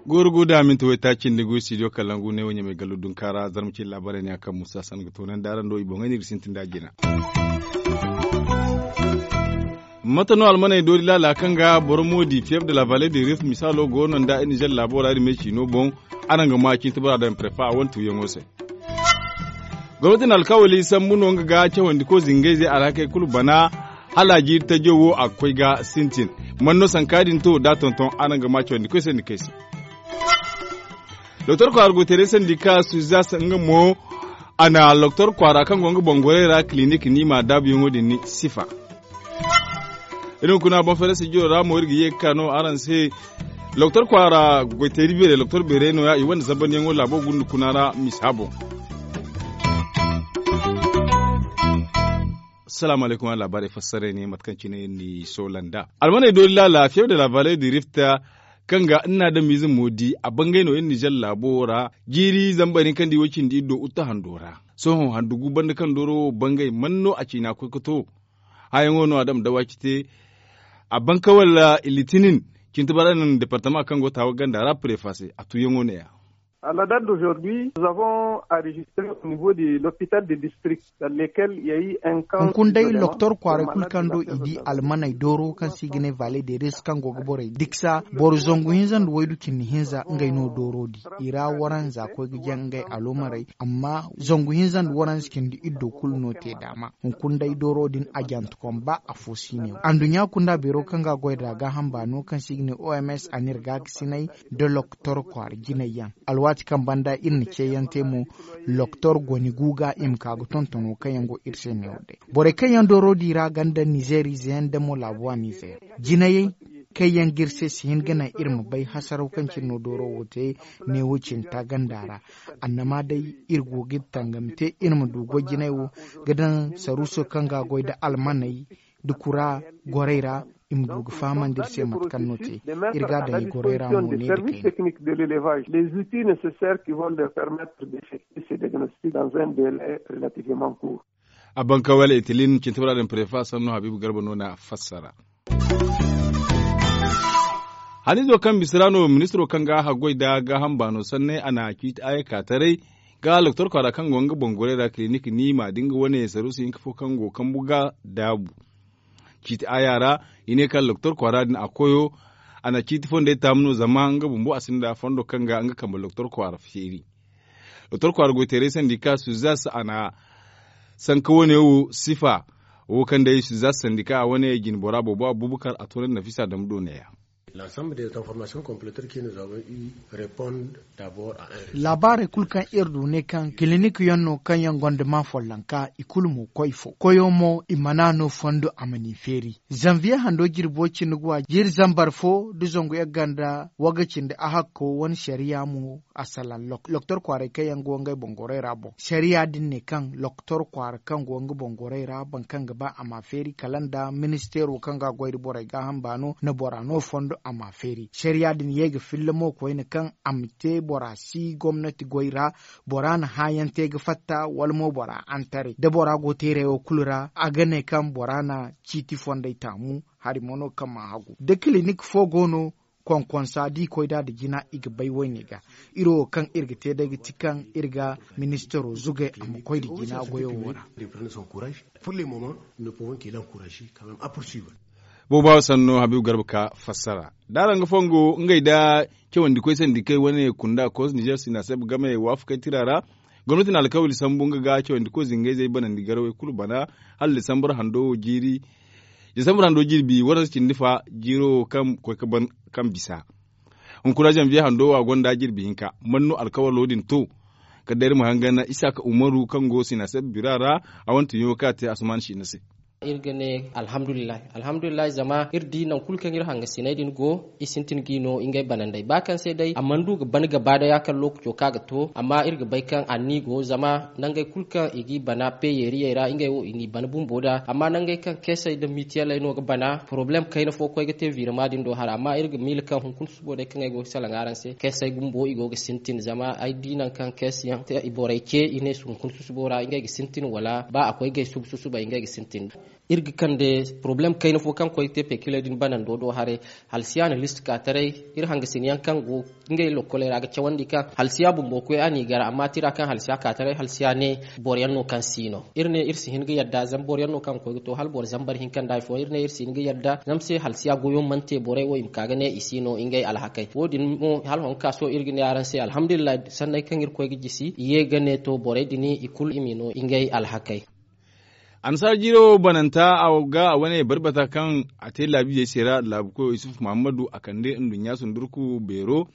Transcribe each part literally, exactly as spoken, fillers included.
Gooru gu da minti waytaaci nda goy studio kalangu ne wo ɲamay gallo dunka ra zarma cine laabaarey ne a kaŋ musa san ga toonandi araŋ do i boŋey no i ga sintin da a jina. Mate no almaney doori laala kaŋ ga boro mo di fiyeef de la vale de rif misaalo go no nda iri nizer laabo ra iri me ciino boŋ. Araŋ ga ma cine ti bora daŋ prefa a wane tuuyaŋo se. Gomnati na alkawali sambu no nga ga cawandi ko zingayzey alhakey kulu bana. Hala a jiiri tajo wo a ga koy ga sintin. Man no sanka din to da tonton araŋ ga ma cawandi koy se ni kay se. Doktor kwaara goytaray sandika suzas nga mo a na doktor kwaara kaŋ go nga bangorey ra kilinik niima daabuyaŋo din ni sifa. Iri hunkuna boŋ fere sijiro ra mo iri ga ye ga ka no araŋ se. Doktor kwaara goytayri beerey doktor beerey no- ya i wane zabanyaŋo laabo gunda kuna ra misa boŋ. Salaamu alaykum araŋ laabaarey fassarey ne mate kaŋ cine iri n'i soola nd'a. Almaney doori laala fiyew de la vale di rifta kaŋ ga nna adamize mo di a bangay no iri nizer laabo wo ra. Jiiri zama bayni kaŋ di wo cindi iri do uta hando ra. Sohõ handu gu banda kaŋ dooro wo bangay man no a ciina koy ga to? Hayaŋo no a dama dawaci te. A banka wala litinin cinti bara naŋ departama kaŋ go taawa ganda ra prefa se a tuuyaŋo ne- ya. A la date d'aujourd'hui nous avons enregistré au niveau de l'hôpital de district dans lesquels il y a eu un camp. Hunkuna day doktor kwaaray kulu kaŋ do i di almaney dooro kaŋ se i ga ne vale de ris kaŋ go ga borey diksa boro zangu hinza nda waydu cindi hinza ngey no dooro di. I ra waranza koy ga jaŋ ngey alomarey amma zangu hinza nda waranza cindi iddo kulu no te daama. Hunkuna day dooro din a janti kom ba afo si ne wo anduɲɲa kunda beero kaŋ ga a goy nd'a gaaham baano kaŋ se i ga ne oms a n'iri gaakasinay nda doktor kwaara jinay yaŋ. Alwaati kaŋ banda iri na ceeyaŋ te mo doktor goni gu ga i ma ka ga tontono kaŋ yaŋ go iri se ne wo day. Borey kaŋ yaŋ dooro di ra ganda nizeer ize yaŋ nda mo laabuwa nizeer jinayey kaŋ yaŋ ga iri se si hin ga naŋ iri ma bay hasaraw kaŋ cine no dooro wo te. Ne wo cinta ganda ra annama day iri go ga iri tangam te iri ma du goy jinay wo ga daŋ saruuso kaŋ ga a goy nda almaney nda kura gorey ra i ma du ga fahamandi iri se mate kaŋ no te. Iri ga a daŋ i gorey ra mo ne nda kayna. Technique de l'élevage les outils nécessaires qui vont leur permettre d'effectuer ces diagnostics dans un délai relativement court. A banka wala itilin cinti bara din prefa sannu habiibu garba no na fassara. Hanizo kaŋ bisa ra no ministiro kaŋ ga haggoy nda gaaham baano sanney a na ciiti ayyaka taray ga doktor kwaara kaŋ go nga bangorey ra kilinik niima da nga wane saruusu hinka fo kaŋ go kambu ga daabu. Ciiti aya ra i ne kaŋ doktor kwaara din a koyo a na ciiti fondey taamu no zama nga bumbo a sinda fondo kaŋ ga nga kambe doktor kwaara feeri. Doktor kwaara goyteeray sandika suzas a na sanka wane wo sifa wo kaŋ day suzas sandika a wane jinbora boobo abubakar a toonandi nafisa dambu do neeya. L'ensemble des informations compléter que nous avons eu répondent d'abord à un laabaarey kulu kaŋ iri du ne kaŋ kilinik yaŋ no kaŋ yaŋ gonda ma follonka i kulu mo koy fo koyo mo i mana no fondo a ma n'i feeri. Zanviye hando jirbo cindi guwa jiiri zambar fo nda zangu yagga nda waga cindi ahakko wane sariya mo a salaŋ loktor kwaaray kaŋ yaŋ go ngey boŋ gorey ra boŋ sariya din ne kaŋ loktor kwaara kaŋ go nga boŋ gorey ra boro kaŋ ga ba a ma feeri kala nda ministeero kaŋ ga a goy nda borey gaaham baano na bora no fondo a ma feeri sariya din ye ga filla mo koyne kaŋ a ma te bora si gomnati goy ra bora na hãayaŋ te ga fatta wala mo bora antaray da bora go teeray wo kulu ra a ga ne kaŋ bora na ciiti fondey taamu hari mo no kaŋ ma hagu da kilinik fo go no konkonsa da i koy nd'a nda jina i ga bay woyne ga iri wo kaŋ iri ga te day ga ti kaŋ iri ga ministaro zugay a ma koy nda jina goyo wo ra. Pour le moment nous ne pouvons que l'encourager quand même à poursuivre. Boobo awa sanno habiibu garba ka fassara da araŋ ga fongo ngey da cawandi koy sandi kay wane kunda koos nizer sina seb game waafakay tira ra. Gomnati na alkawali sambu nga ga cawandi koy zingayzey banandi garawey kulu bana hala disambar hando wo jiiri. Disambar hando jirbi waransa cindi fa jiiro wo kaŋ koy ga ban kaŋ bisa hunkuna zanviye hando wo a gonda jirbi hinka man no alkawalo din to? Kala day iri ma hangan isaka umaru kaŋ go sina seb bira ra a wane tunyaŋo kaŋ a te asuman siina se. Iri ga ne alhamdulillahi, alhamdulillahi zama iri di nangu kulu kaŋ iri hangasiney din go, i sintin g'i no ngey banandey ba kaŋ se day a mana du ga ban gaba day a kaŋ lookaco kaŋ a ga to. Amma iri ga bay kaŋ a n'i go zama nangey kulu kaŋ i g'i bana peyeeriyey ra ngey wo i n'i ban bumbo nd'a. Amma nangey kaŋ keesey nda mitiyaley no ga bana poroblem kayna fo koy ga te virema din do hara amma iri ga miila kaŋ hunkuna susubo day kaŋ ay go ga salaŋ araŋ se keesey bumbo i go ga sintin zama ay di nangu kaŋ keesiyaŋ te i borey ce i ne hunkuna susubo ra ngey ga sintin wala ba a koy gay subu susubay ngey ga sintin. Iri ga kande poroblem kayna fo kaŋ koy ga te pekiley din banando do haray. Halsiya na list ka taray iri hangasin yaŋ kaŋ go ngey lokkoley ra ga cawandi kaŋ halsiya bumbo koy a n'i gar amma tira kaŋ halsiya ka taray halsiya ne boro yaŋ no kaŋ si no iri ne iri si hin ga yadda zama boro yaŋ no kaŋ ga koy ga to hala boro zambar hinka nda hari fooyaŋ iri ne iri si hin ga yadda zama se halsiya goyo mana te borey wo i ma ka ga ne i si no ngey alhakey wo- din mo hala hongu ka sohõ iri ga ne araŋ se alhamdulillahi sanney kaŋ iri koy ga jisi i ye ga ne to borey din i kulu i m'i no ngey alhakey. Annasaara jiiro wo bananta a ga a wane barbata kaŋ a te laabu iyey se ra laabu koyo yusuf muhammadu a kande nduɲɲa sundurku beero.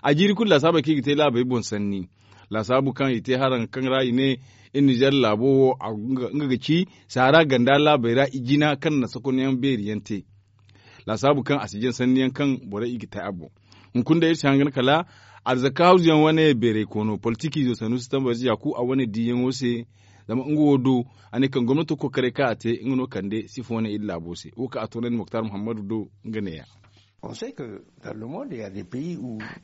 A jiiri kulu laasaabey kaŋ i ga te laabey boŋ sanni laasaabu kaŋ i te haraŋ kaŋ ra i ne iri nizer laabo wo nga ga ci saara ganda laabey ra i jina kaŋ na sakonyaŋ beeri yaŋ te. Laasaabu kaŋ a si jaŋ sanni yaŋ kaŋ borey i ga te a boŋ. Hunkuna day iri si hangan kala arzaka hawzu yaŋ wane beeray koono politiki izo sanusi tambarzi yaaku a wane diiyaŋo se. Zama nga wo do a ne kaŋ gomnato kokaray kaŋ a te nga no kande sifo wane iri laabo se wo kaŋ a toonandi moktar muhammadu do. Nga neeya.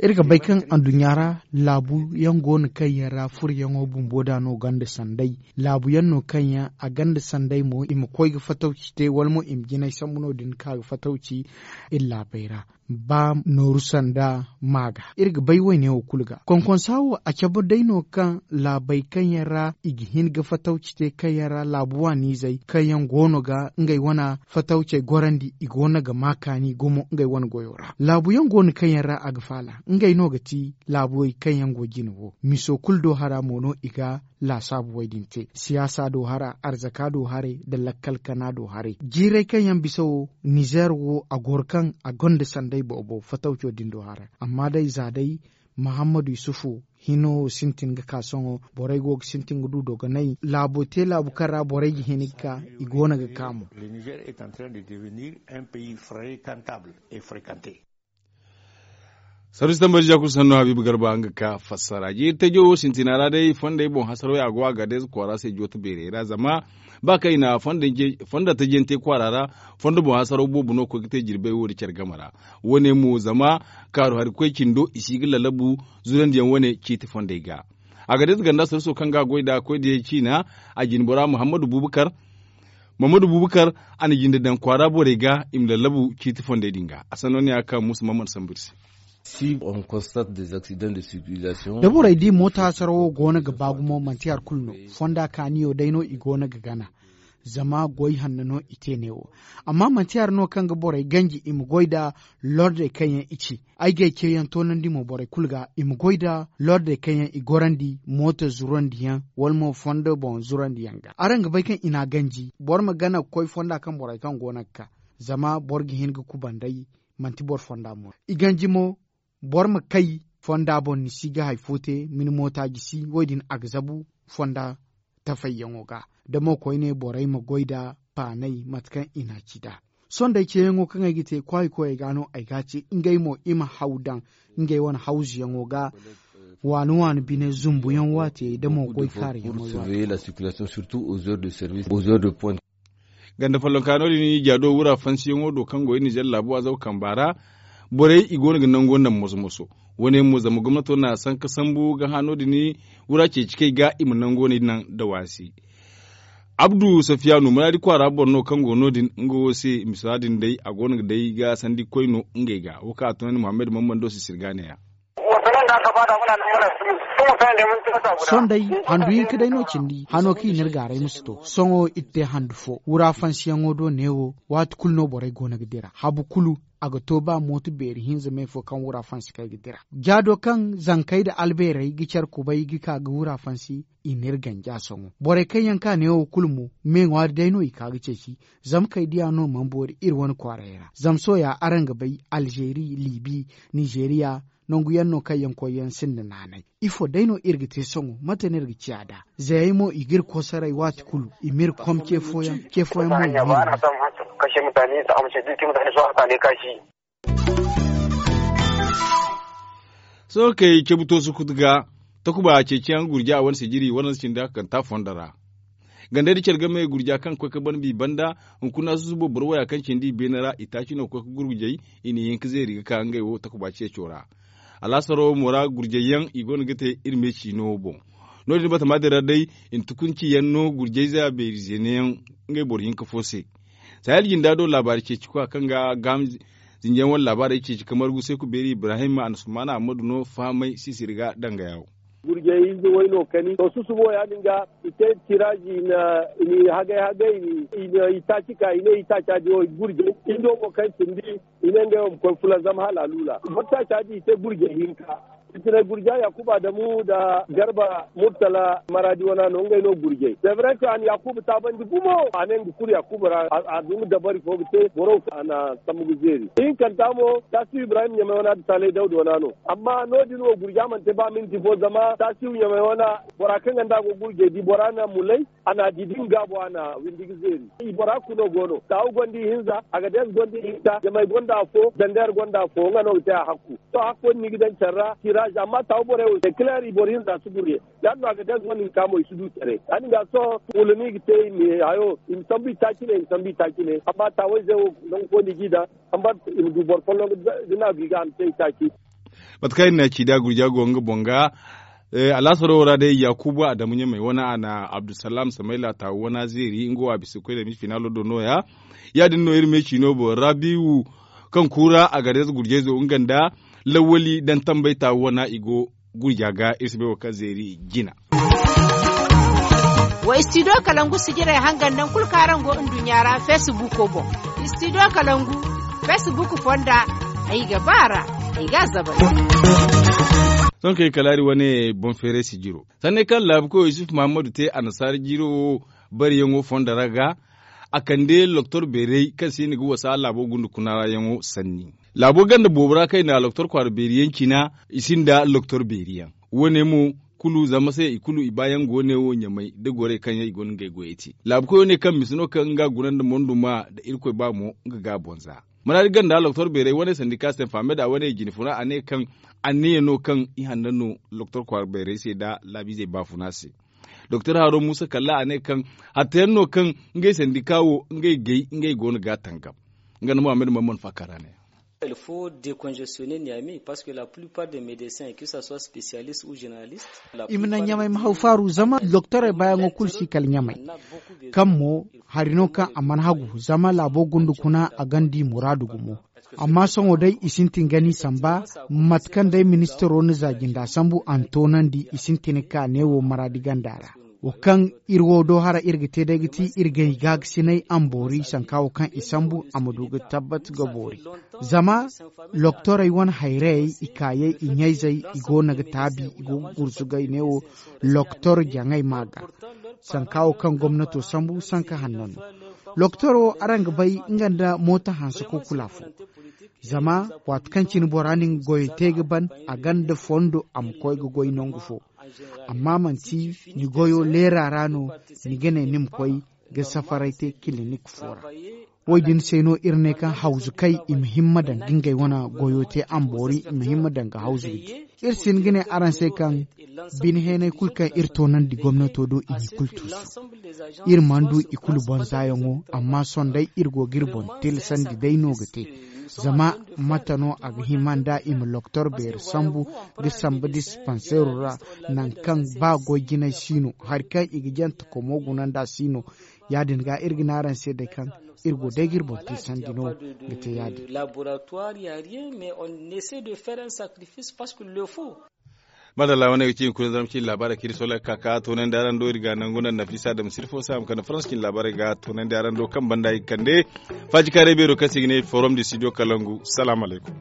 Iri ga bay kaŋ anduɲɲa ra laabu yaŋ go no kaŋ yaŋ ra furoyaŋo bumbo da no gonda sanday laabu yaŋ no kaŋ yaŋ a gonda sanday mo i ma koy ga fatawci te wala mo i ma jinay sambu no- din ka ga fatawci iri laabey ra. Ba nooru sanda ma ga iri ga bay wayne wo kulu ga konkonsa wo a cabe day no kaŋ laabey kaŋ yaŋ ra i ga hin ga fatawci te kaŋ yaŋ ra laabu waaniizey kaŋ yaŋ go no ga ngey wane fatawcey gorandi i go no ga ma kaani gumo ngey wane goyo ra laabu yaŋ go no kaŋ yaŋ ra a ga faala ngey no ga ti laabuwey kaŋ yaŋ go jine wo miso kulu do hara mo no i ga laasaabu wo- din te siyaasa do hara arzaka do haray nda lakkal kana do haray jiiray kaŋ yaŋ bisa wo nizer wo a goro kaŋ a gonda sanday boobo fatawco din do hara amma day za day muhammadu yusufu hino wo sintin ga ka sohõ borey go ga sintin ga du dogonay laabo te laabu kaŋ ra borey ga hin ga ka i go no ga ka mo. Sarus tambar jakul sanno habibu garba nga ka fassara jiiri tajo wo sintina ra day fondey boŋ hasaro ya go a ga day za kwaara se jota beerey ra zama ba kaŋ i na fonda tajante kwaara ra fondo boŋ hasaro boobo no koy ga te jirbey wo da care game ra. Wo- ne mo zama kaaru hari koy cindo i si ga lalabu zurandi yaŋ wane ciiti fondey ga. A ga day za ganda sarus wo kaŋ ga a goy nd'a koy da yay ciina a jine bora muhammadu bubakar. Muhammadu bubakar a na jinde daŋ kwaara borey ga i ma lallabu ciiti fondey din ga a sanno ne a ga ka muusa mammad sambu iri se. Da borey di moota hasaro wo go no ga ba gumo manti hari kulu no fonda kaaniyo day no i go no ga gana. Zama goy hanno no i te neewo amma manti hari no kaŋ ga borey ganji i ma goy nda lordey kaŋ yaŋ i ci ay ga ay ceeyaŋ toonandi mo borey kulu ga i ma goy nda lordey kaŋ yaŋ i gorandi moota zurandi yaŋ wala mo fondo boŋ zurandi yaŋ ga araŋ ga bay kaŋ i n'a ganji boro ma gana ga koy fonda kaŋ borey kaŋ go no ga ka. Zama boro ga hin ga kubanday manti boro fonda mo no i ganji mo boro ma kay fonda boŋ ni si ga hari fo te ma ni moota jisi wo- din a ga zabu fonda tafayyaŋo ga. Da mo koyne borey ma goy nda paanay mate kaŋ i n'a ci nd'a sohõ day ceeyaŋo kaŋ ay ga te kwaayi koyey ga no ay ga a ce ngey mo i ma haw daŋ ngey wane hawzuyaŋo ga waani waani bine zumbuyaŋ waatiyey da mo goy kaariyaŋo. Ganda follonka no- din i ja do wura fansiyaŋo do kaŋ go iri nizer laabo azaw kamba ra. Borey i go no ga nango naŋ moso moso. Wo- ne mo zama gomnato na sanka sambu ga hã no- din wura ceeci kay ga i ma nango naŋ da waasi. Abdu safiyanu muraadi kwaara boro no kaŋ go no- din nga wo se misa din day a go no ga day ga sandi koy no ngey ga wo kaŋ a tunandi muhammad mammando se sirga neeya. Sohõ day handu hinka day no cindi hano kaŋ i n'iri gaaray ma si to sohõ iri te handu fo wura fansiyaŋo do neewo. Waati kulu no borey go no ga dira habu kulu a ga to ba mooto beeri hinza me fo kaŋ wura fansi kaŋ ay ga dira jaado kaŋ zankey nda albeerey ga care kubay ga ka ga wura fansi. I n'iri ganja sohõ borey kaŋ yaŋ ka neewo kulu mo me ŋwaari day no i ka ga ceeci. Zama kay diya no mana boori iri wane kwaarey ra zama sohõ ya araŋ ga bay alzeeri liibi, nizeeriya, Nangu yaŋ no kaŋ yaŋ koy yaŋ sinda naanay. Ifo day no iri ga te sohõ mate no iri ga ciya nd'a? Zayey mo i ga iri kosoray waati kulu, i m'iri kom ce fooyaŋ ce fooyaŋ mo i m'iri. Sohõ kay cabu to sukutu ga takuba ceeciyaŋ gurja wane sijiri wane sinda kanta fondo ra. Gandey da care game gurja kaŋ ga koy ga ban bi banda, hunkuna susubo boro waya kaŋ cindi i beene ra i taaci no ga koy ga gurjay. I n'i hin ga zeeri ga ka ngey wo takuba ceeco ra. Alaasaro mo ra gurjay yaŋ i go no ga te iri me ciino boŋ. No- din batama din ra day, i na tukunci yaŋ no gurjayza beeri zeene yaŋ ngey boro hinka fo se. Sahel jinda do laabaari ceeci kwa kaŋ ga gaaham zinjiyaŋ wane laabaarey ceeci ka margu seeku beeri ibrahim anasumana ammadu no fahamay sisiri ga danga yawo. Gurjey ize way no kani to susubo ya- din ga i te tiraazi i na i hagay hagay i na i taaci ka i ne i taaca di wo gurjey indo mo kaŋ cindi i ne ngey wo ma koy fulaŋ zama hala a luula. Boro taaca di i te gurjey hinka. Sintinay gurja yakuba adamu nda garba murtala maraadi wana no ngey no gurjey sevray ka a na yakuba taabandi gumo a ne nga kulu yakuba ra a duma dabari fo ga te boro a na sambu ga zeeri ihinkanta mo tasihu ibrahim ɲamay wana nda saalay dawda wana no. Amma no- din wo gurja mana te ba minti fo zama tasihu ɲamay wana bora kaŋ ga nda a go ga gurjey di bora na mulay. A na a di din gaabo a na windi ga zeeri i bora kulu no go no taawu gonda ihinza a ga dees gonda ihinza ɲamay gonda afo zandeer gonda afo nga no ga te a hakku. To hakko ni ga daŋ care ra tiraazi amma taawu borey wo se kileer i boro hinza si gurye. Ya- din no a ga dees wane hinka mo i si du care ya- din ga sohõ wala no i ga te i ma hayo i ma sambu i taaci ne i ma sambu i taaci ne amma taawayzey wo nangu fo no i g'i daŋ. Amma i ma du boro folloŋ ga ne a go i ga a ma te i taaci. Mate kaŋ iri na ci da gurja go nga boŋ ga alaasaro wo ra day yakuba adamu ɲamay wane a na abdulsalam samayla taawu wana zeeri nga wo a bisa ga koy da misi finaalo do no- ya. Ya- din no iri me ciino boŋ rabiwu kaŋ kuura a ga reeza gurjayzo nga nda lawwali daŋ tambay taawu wana i go gurja ga iri si bay wo kaŋ zeeri jina. Wa istidiyo kalangu sijirey hangan nangu kulu kaŋ araŋ go nduɲɲa ra feesibuuko boŋ. Istidiyo kalangu feesibuuko fonda ay ga ba a ra. Ay ga a zabay. Sohõ kay kala hari wane boŋ feeray sijiro sanney kaŋ laabu koyo yusuf mahammadu te annasaara jiiro wo bariyaŋo fonda ra ga a kande loktor beeray kaŋ se i na ga wasa laabo gunda kuna ra yaŋo sanni. Laabo ganda boobo ra kaŋ i na loktor kwaara beeri yaŋ cina i sinda loktor beeri yaŋ. Wo- ne mo kulu zama se i kulu i baayaŋ go ne wo ɲamay da gorey kaŋ yaŋ i go no ngey goyey te laabu koyo ne kaŋ misa no kaŋ nga guna nda monduma nda irkoy ba mo nga ga a boŋ za. Maraadi ganda loktor beeray wane sandika se fahamey da wane jine funa a ne kaŋ anniya no kaŋ i hanna no loktor kwaara beeray se nda laabiizey baafuna se. Doktor haro musa kalla a ne kaŋ hatta yaŋ no kaŋ ngey sandika wo ngey gay ngey go no ga a tangam. Nga nda muhammad mamman faakar a ne. Il faut décongestionner niamey parce que la plupart des médecins que ça soit spécialiste ou généraliste. I ma naŋ ɲamay ma haw faaru zama doktorey baayaŋo kulu si kala ɲamay. Kaŋ mo hari no kaŋ a mana hagu zama laabo gunda kuna a ganda i muraadu gumo. Amma sohõ day i sintin ga ni samba mate kaŋ day ministiro na za jinda sambu a na toonandi i sintin ka neewo maraadi ganda ra. Wo kaŋ iri wo do hara iri ga te day ga ti iri gay gaagasinay a ma boori sanka wo kaŋ i sambu a ma du ga tabbat ga boori. Zama loktorey wane hayrayey i kaayey i ɲayzey i go no ga taabi i go ga gurzugay neewo loktor jaŋay ma ga. Sanka wo kaŋ gomnato sambu sanka hanno no. Loktor wo araŋ ga bay nga nda mooto hanse kukula fo. Zama waati kaŋ cine bora na nga goyo te ga ban a ganda fondo a ma koy ga goy nangu fo. Amma manti ni goyo leera ra no ni ga ne ni ma koy ga safaray te kilinik fo ra. Wo- din se no iri ne kaŋ hawzu kay i ma himma daŋ ga ngey wane goyo te a ma boori i ma himma daŋ ga hawzu ga di. Iri si hin ga ne araŋ se kaŋ bine heenay kulu kaŋ iri toonandi gomnato do i n'i kulu tuusu. Iri mana du i kulu boŋ zaayaŋo amma sohõ day iri go ga iri boŋ tilasandi day no ga te. Zama mate no a ga hima nda i ma loktor beeri sambu ga samba dispanseero ra, nangu kaŋ ba goy jinay si no hari kaŋ i ga jante komo guna nd'a si no. Ya- din ga iri ga ne araŋ se day kaŋ iri go day ga iri boŋ tilasandi no ga te ya- din. Madalla wane ga ci hunkuna zarma cine laabaarey kaŋ iri sola ga ka ka toonandi araŋ do iri ga nangu naŋ nafisa dama sirfo se a ma kande farans cine laabaarey ga toonandi araŋ do kaŋ banda i ga kande. Faajikaaray beero kaŋ se i ga ne forum de studio kalangu salaamu alaykum.